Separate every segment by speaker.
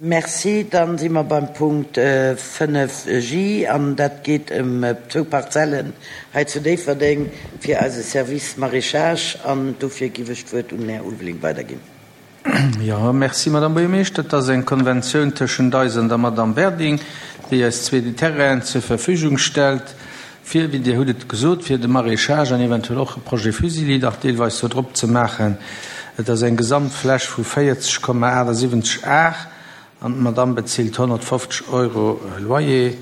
Speaker 1: Merci. Dann si mer beim Punkt 5 J an dat geet ëm zwou Parzellen hei zu Déifferdeng fir eise Service Maraîchage an dofir giff ech d'Wuert un den Här Ulveling weiderginn.
Speaker 2: Jo, merci, Madame Buergermeeschter. Et ass eng Konventioun tëschent eis an der Madame Werding, déi eis zwee Terrainen zur Verfügung stellt fir, wéi Dir hutt et gesot, fir de Maraîchage an eventuell och e Projet Fusilli nach deelweis do drop ze maachen. Et ass eng Gesamtfläch vu 40,78 Ar an d'Madame bezilt 150 Euro Loyer,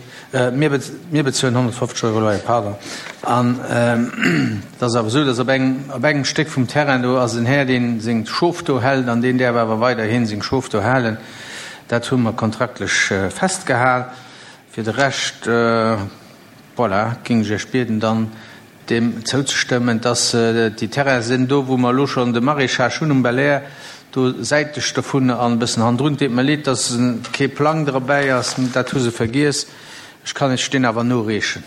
Speaker 2: mir, mir bezuelen 150 Euro Loyer, pardon. An et ass awer esou, dass op engem, op engem Stéck vum Terrain do ass en Här, dee seng Schof do hält an deen däerf awer weiderhi seng Schof do halen. Dat hu mer kontraktlech festgehal. Fir de Rescht, Voilà, géing ech Iech bieden, dann deem zouzestëmmen, dass déi Terrainen sinn do, wou mer elo schonn de Maraîchage hunn um Belair, do säitlech dovun an e bëssen hannendrun. Et deet mer leed, dass kee Plang derbäi ass, dat hu se vergiess. Ech kann Iech deen awer noreechen.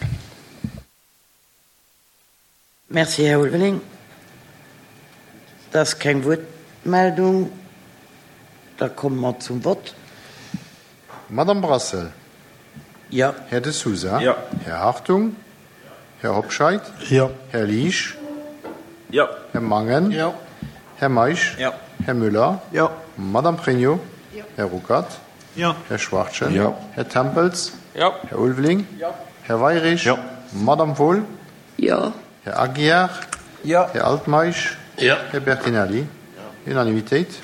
Speaker 1: Merci, Här Ulveling. Et ass keng Wuertmeldung. Da komme mer zum Vott.
Speaker 3: Madame Brassel.
Speaker 1: Jo.
Speaker 3: Här De Sousa.
Speaker 4: Jo.
Speaker 3: Här Hartung. Här Hobscheit.
Speaker 5: Jo.
Speaker 3: Här Liesch.
Speaker 4: Jo.
Speaker 3: Här Mangen.
Speaker 5: Jo.
Speaker 3: Här Meisch.
Speaker 4: Jo.
Speaker 3: Här Müller.
Speaker 5: Jo.
Speaker 3: Madame Pregno.
Speaker 6: Jo.
Speaker 3: Här Ruckert.
Speaker 5: Jo.
Speaker 3: Här Schwachtgen.
Speaker 4: Jo.
Speaker 3: Här Tempels.
Speaker 4: Jo.
Speaker 3: Här Ulveling.
Speaker 4: Jo.
Speaker 3: Här Weirich.
Speaker 4: Jo.
Speaker 3: Madame Wohl.
Speaker 6: Jo.
Speaker 3: Här Aguiar.
Speaker 4: Jo.
Speaker 3: Här Altmeisch.
Speaker 5: Jo.
Speaker 3: Här Bertinelli.
Speaker 4: Jo.
Speaker 3: Unanimitéit.